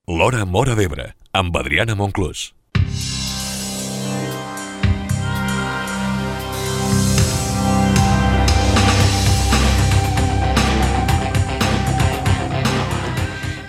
L'Hora Móra d'Ebre, amb Adriana Monclús.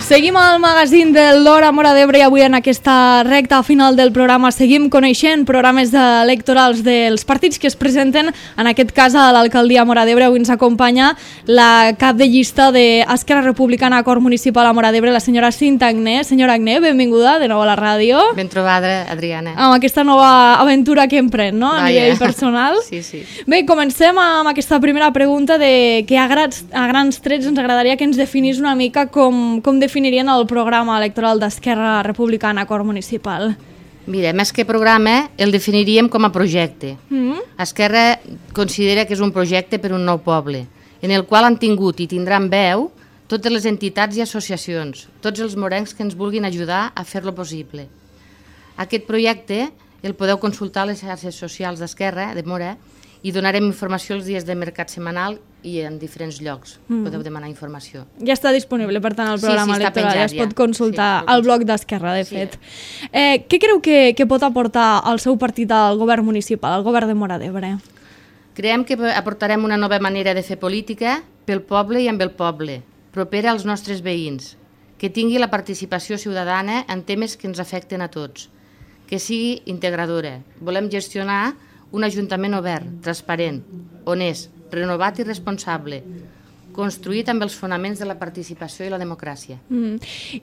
Seguim al magazín de l'Hora Móra d'Ebre i avui en aquesta recta final del programa seguim coneixent programes electorals dels partits que es presenten, en aquest cas a l'alcaldia Móra d'Ebre. Avui ens acompanya la cap de llista d'Esquerra Republicana Acord Municipal a Móra d'Ebre, la senyora Cinta Agné. Senyora Agné, benvinguda de nou a la ràdio. Ben trobada, Adriana. Amb aquesta nova aventura que emprèn, no?, a nivell personal. Sí, sí. Bé, comencem amb aquesta primera pregunta de que a grans trets ens agradaria que ens definís una mica com definirien el programa electoral d'Esquerra Republicana Acord Municipal. Mira, més que programa, el definiríem com a projecte. Esquerra considera que és un projecte per un nou poble, en el qual han tingut i tindran veu totes les entitats i associacions, tots els morencs que ens vulguin ajudar a fer-lo possible. Aquest projecte el podeu consultar a les xarxes socials d'Esquerra, de Móra, i donarem informació els dies de mercat setmanal i en diferents llocs. Podeu demanar informació. Ja està disponible, per tant, el programa electoral. Ja es pot consultar al blog d'Esquerra, de fet. Què creu que pot aportar el seu partit al govern municipal, al govern de Móra d'Ebre? Creiem que aportarem una nova manera de fer política pel poble i amb el poble, propera als nostres veïns, que tingui la participació ciutadana en temes que ens afecten a tots, que sigui integradora. Volem gestionar un ajuntament obert, transparent, honest, renovat i responsable, construït amb els fonaments de la participació i la democràcia.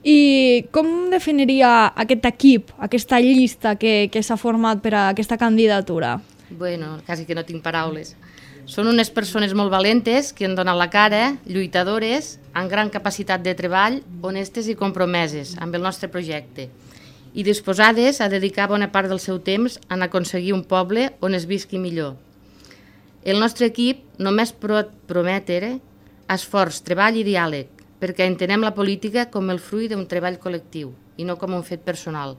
I com definiria aquest equip, aquesta llista que s'ha format per a aquesta candidatura? Bueno, quasi que no tinc paraules. Són unes persones molt valentes que han donat la cara, lluitadores, amb gran capacitat de treball, honestes i compromeses amb el nostre projecte, i disposades a dedicar bona part del seu temps a aconseguir un poble on es visqui millor. El nostre equip només promet esforç, treball i diàleg, perquè entenem la política com el fruit d'un treball col·lectiu i no com un fet personal.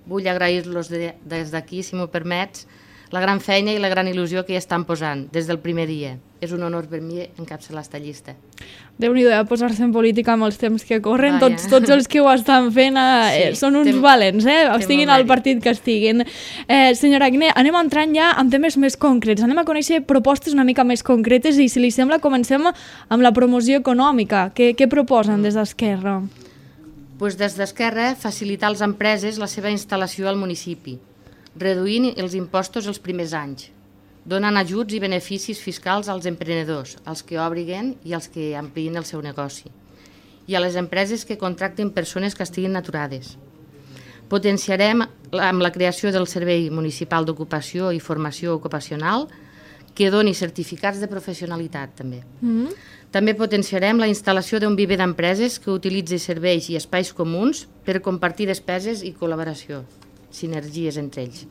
Vull agrair-los des d'aquí, si m'ho permets, la gran feina i la gran il·lusió que hi estan posant des del primer dia. És un honor per mi encapçalar esta llista. Déu-n'hi-do, posar-se en política amb els temps que corren. Tots els que ho estan fent són uns valents, estiguin al partit que estiguin. Senyora Agné, anem entrant ja en temes més concrets. Anem a conèixer propostes una mica més concretes i, si li sembla, comencem amb la promoció econòmica. Què proposen des d'Esquerra? Des d'Esquerra, facilitar a les empreses la seva instal·lació al municipi, reduint els impostos els primers anys, donant ajuts i beneficis fiscals als emprenedors, als que obriguen i als que ampliïn el seu negoci, i a les empreses que contracten persones que estiguin aturades. Potenciarem amb la creació del Servei Municipal d'Ocupació i Formació Ocupacional, que doni certificats de professionalitat, també. També potenciarem la instal·lació d'un viver d'empreses que utilitzi serveis i espais comuns per compartir despeses i col·laboració, sinergies entre ells.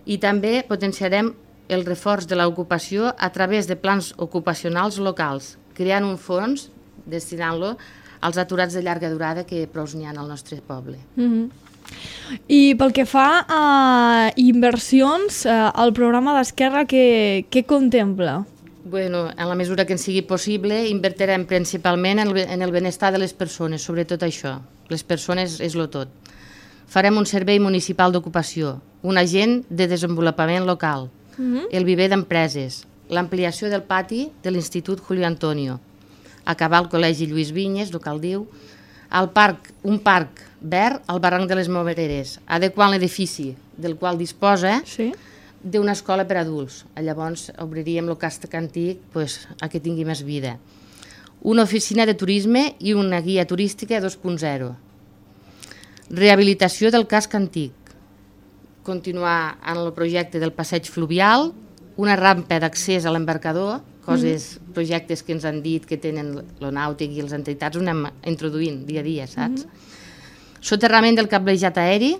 I també potenciarem el reforç de l'ocupació a través de plans ocupacionals locals, creant un fons, destinant-lo als aturats de llarga durada que prou n'hi ha al nostre poble. I pel que fa a inversions, el programa d'Esquerra què contempla? Bueno, en la mesura que ens sigui possible, invertirem principalment en el benestar de les persones, sobretot això. Les persones és lo tot. Farem un servei municipal d'ocupació, un agent de desenvolupament local, el viver d'empreses, l'ampliació del pati de l'Institut Julio Antonio, acabar el Col·legi Lluís Vinyes, el Caldiu, un parc verd al barranc de les Moreres, adequant l'edifici del qual disposa d'una escola per a adults. Llavors obriríem el casc antic a que tingui més vida. Una oficina de turisme i una guia turística 2.0. Rehabilitació del casc antic. Continuar en el projecte del passeig fluvial, una rampa d'accés a l'embarcador, projectes que ens han dit que tenen l'Onàutic i les entitats, ho anem introduint dia a dia, saps? Soterrament del cablejat aeri,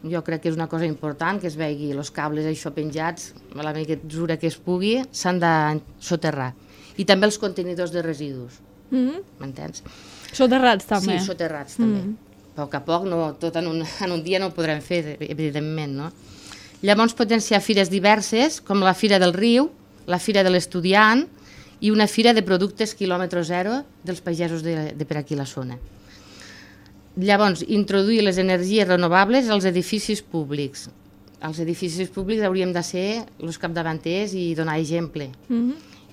jo crec que és una cosa important, que es vegi els cables això penjats, a la mesura que es pugui, s'han de soterrar. I també els contenidors de residus, m'entens? Soterrats també? Sí, soterrats també. A poc, tot en un dia no ho podrem fer, evidentment, no? Llavors potenciar fires diverses, com la Fira del Riu, la Fira de l'Estudiant i una fira de productes quilòmetre zero dels pagesos de per aquí la zona. Llavors, introduir les energies renovables als edificis públics. Els edificis públics hauríem de ser els capdavanters i donar exemple.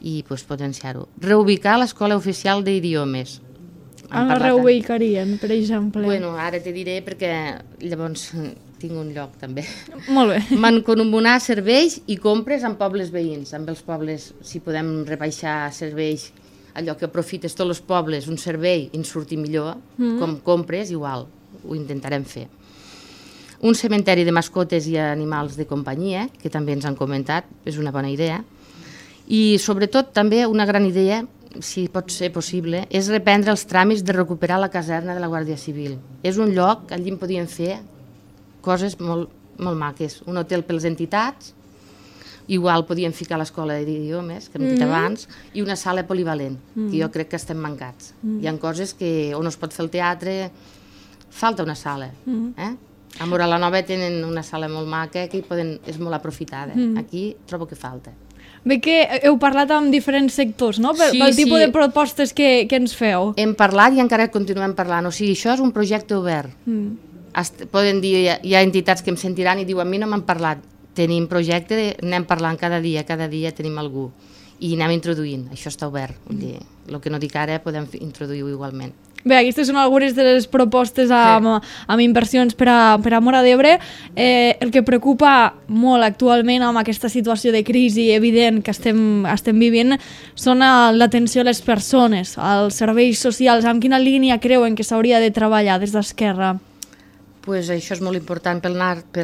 I potenciar-ho. Reubicar l'Escola Oficial d'Idiomes. On la reubicarien, per exemple? Bueno, ara te diré perquè llavors tinc un lloc també. Molt bé. Mancomunar serveis i compres amb pobles veïns. Amb els pobles, si podem rebaixar serveis, allò que aprofites tots els pobles, un servei i ens surti millor, com compres, igual, ho intentarem fer. Un cementeri de mascotes i animals de companyia, que també ens han comentat, és una bona idea. I sobretot també una gran idea, si pot ser possible, és reprendre els tràmits de recuperar la caserna de la Guàrdia Civil. És un lloc, allí en podíem fer coses molt, molt maques. Un hotel per les entitats, igual podíem ficar l'escola d'idiomes, que hem dit abans, i una sala polivalent, que jo crec que estem mancats. Hi ha coses que on es pot fer el teatre, falta una sala. A Móra la Nova tenen una sala molt maca que és molt aprofitada. Aquí trobo que falta. Bé que heu parlat amb diferents sectors, no? Pel tipus de propostes que ens feu. Hem parlat i encara continuem parlant. O sigui, això és un projecte obert. Poden dir, hi ha entitats que em sentiran i diuen, a mi no m'han parlat. Tenim projecte, anem parlant cada dia tenim algú. I anem introduint, això està obert. El que no dic ara podem introduir-ho igualment. Bé, aquestes són algunes de les propostes amb inversions per a Móra d'Ebre. El que preocupa molt actualment amb aquesta situació de crisi evident que estem vivint són l'atenció a les persones, als serveis socials. Amb quina línia creuen que s'hauria de treballar des d'Esquerra? Pues això és molt important per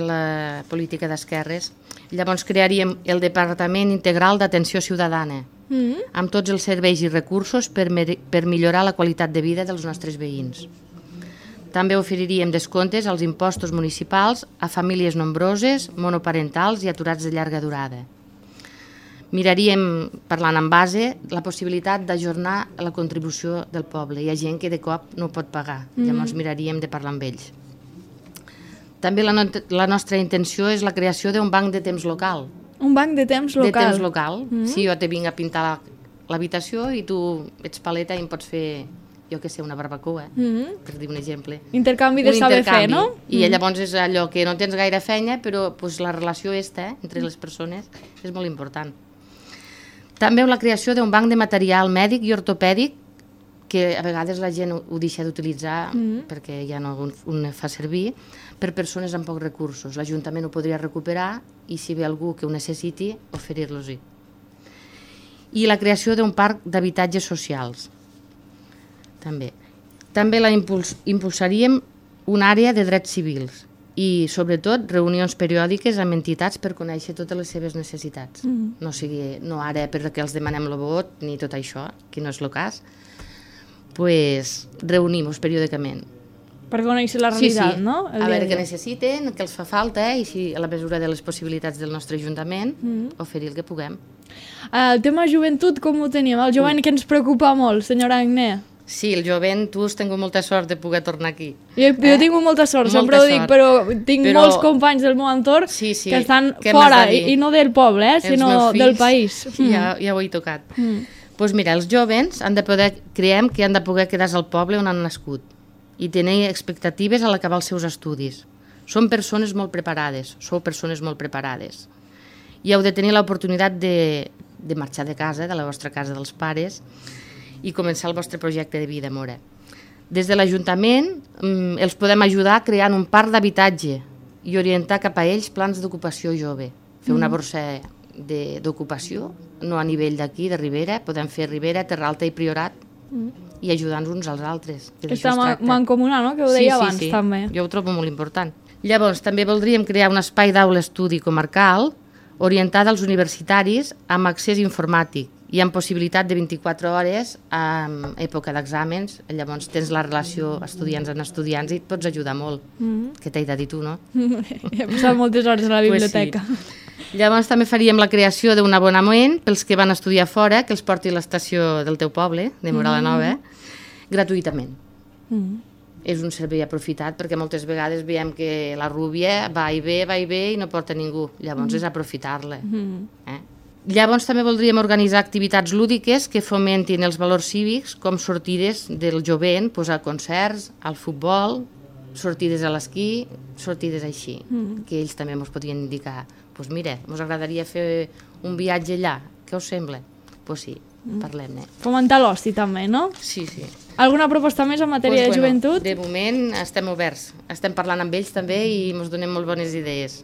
la política d'esquerres. Llavors crearíem el Departament Integral d'Atenció Ciutadana, amb tots els serveis i recursos per millorar la qualitat de vida dels nostres veïns. També oferiríem descomptes als impostos municipals a famílies nombroses, monoparentals i aturats de llarga durada. Miraríem, parlant en base, la possibilitat d'ajornar la contribució del poble. Hi ha gent que de cop no pot pagar, llavors miraríem de parlar amb ells. També la nostra intenció és la creació d'un banc de temps local. Un banc de temps local? De temps local. Si jo te vinc a pintar l'habitació i tu ets paleta i em pots fer, jo què sé, una barbacoa, per dir un exemple. Intercanvi de saber fer, no? I llavors és allò que no tens gaire feina, però la relació entre les persones és molt important. També la creació d'un banc de material mèdic i ortopèdic que a vegades la gent ho deixa d'utilitzar perquè ja no un fa servir, per persones amb pocs recursos. L'Ajuntament ho podria recuperar i si ve algú que ho necessiti, oferir-los-hi. I la creació d'un parc d'habitatges socials. També impulsaríem una àrea de drets civils i, sobretot, reunions periòdiques amb entitats per conèixer totes les seves necessitats. No ara perquè els demanem el vot ni tot això, que no és el cas, doncs reunim-nos periòdicament. Per conèixer la realitat, no? A veure què necessiten, què els fa falta i si a la mesura de les possibilitats del nostre Ajuntament oferir el que puguem. El tema joventut, com ho tenim? El jovent que ens preocupa molt, senyora Agné. Sí, el jovent, tu has tingut molta sort de poder tornar aquí. Jo he tingut molta sort, sempre ho dic, però tinc molts companys del meu entorn que estan fora, i no del poble, sinó del país. Ja ho he tocat. Doncs mira, els jovens creiem que han de poder quedar-se al poble on han nascut i tenir expectatives a l'acabar els seus estudis. Són persones molt preparades, sou persones molt preparades. I heu de tenir l'oportunitat de marxar de casa, de la vostra casa dels pares, i començar el vostre projecte de vida, Móra. Des de l'Ajuntament els podem ajudar creant un parc d'habitatge i orientar cap a ells plans d'ocupació jove. Fer una borsa d'ocupació, no a nivell d'aquí, de Ribera, podem fer Ribera, Terra Alta i Priorat, i ajudar-nos uns als altres. Està mancomunat, no? Que ho deia abans, també. Jo ho trobo molt important. Llavors, també voldríem crear un espai d'aula estudi comarcal orientat als universitaris amb accés informàtic i amb possibilitat de 24 hores en època d'exàmens. Llavors tens la relació estudiants amb estudiants i et pots ajudar molt. Què t'he de dir tu, no? He passat moltes hores a la biblioteca. Llavors també faríem la creació d'un abonament pels que van estudiar fora, que els porti a l'estació del teu poble, de Móra la Nova, gratuïtament. És un servei aprofitat perquè moltes vegades veiem que la rúbia va i ve i no porta ningú. Llavors és aprofitar-la. Llavors també voldríem organitzar activitats lúdiques que fomentin els valors cívics, com sortides del jovent, a concerts, al futbol, sortides a l'esquí, sortides així, que ells també ens podrien indicar. Doncs mira, ens agradaria fer un viatge allà, què us sembla? Doncs sí, parlem-ne. Fomentar l'oci també, no? Sí, sí. Alguna proposta més en matèria de joventut? De moment estem oberts, estem parlant amb ells també i ens donem molt bones idees.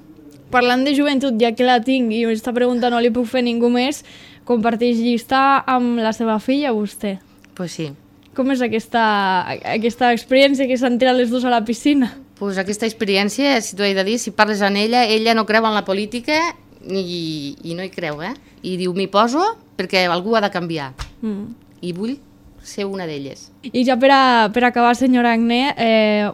Parlant de joventut, ja que la tinc i aquesta pregunta no li puc fer ningú més, comparteix llista amb la seva filla, vostè? Pues sí. Com és aquesta experiència que s'han tirat les dues a la piscina? Pues aquesta experiència, si t'ho he de dir, si parles amb ella no creu en la política i no hi creu, I diu, m'hi poso perquè algú ha de canviar. I vull ser una d'elles. I ja per acabar, senyora Agné,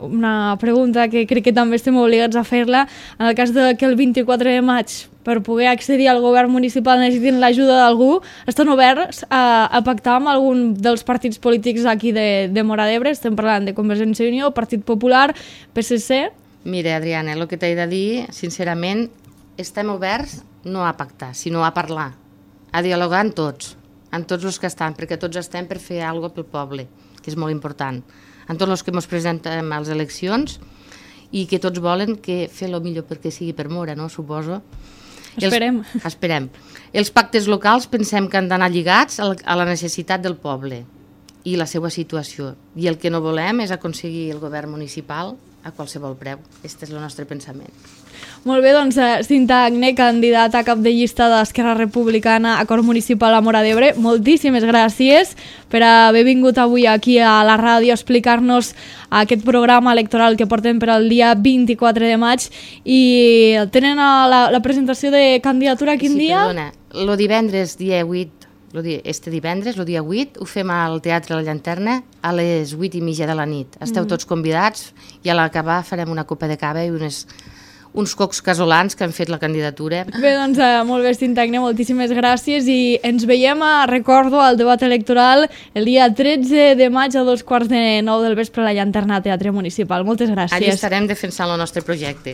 una pregunta que crec que també estem obligats a fer-la. En el cas que el 24 de maig, per poder accedir al govern municipal necessitin l'ajuda d'algú, estan oberts a pactar amb algun dels partits polítics aquí de Móra d'Ebre? Estem parlant de Convergència i Unió, Partit Popular, PSC... Mira, Adriana, el que t'he de dir, sincerament, estem oberts no a pactar, sinó a parlar, a dialogar amb tots els que estan, perquè tots estem per fer alguna cosa pel poble, que és molt important. En tots els que ens presentem a les eleccions i que tots volen que fer el millor perquè sigui per Móra, no? Suposo. Esperem. Esperem. Els pactes locals pensem que han d'anar lligats a la necessitat del poble i la seva situació. I el que no volem és aconseguir el govern municipal a qualsevol preu. Aquest és el nostre pensament. Molt bé, doncs Cinta Agné, candidata a cap de llista d'Esquerra Republicana a Cor Municipal a Móra d'Ebre, moltíssimes gràcies per haver vingut avui aquí a la ràdio a explicar-nos aquest programa electoral que portem per al dia 24 de maig. I tenen la presentació de candidatura quin dia? Sí, perdona, el divendres, dia 8, este divendres, el dia 8, ho fem al Teatre La Llanterna a les 8:30 de la nit. Esteu tots convidats i a l'acabar farem una copa de cava i uns cocs casolans que han fet la candidatura. Bé, doncs molt bé, Cinta Agné, moltíssimes gràcies i ens veiem, recordo, al debat electoral el dia 13 de maig a 2:15 del vespre a la Llanterna Teatre Municipal. Moltes gràcies. Allí estarem defensant el nostre projecte.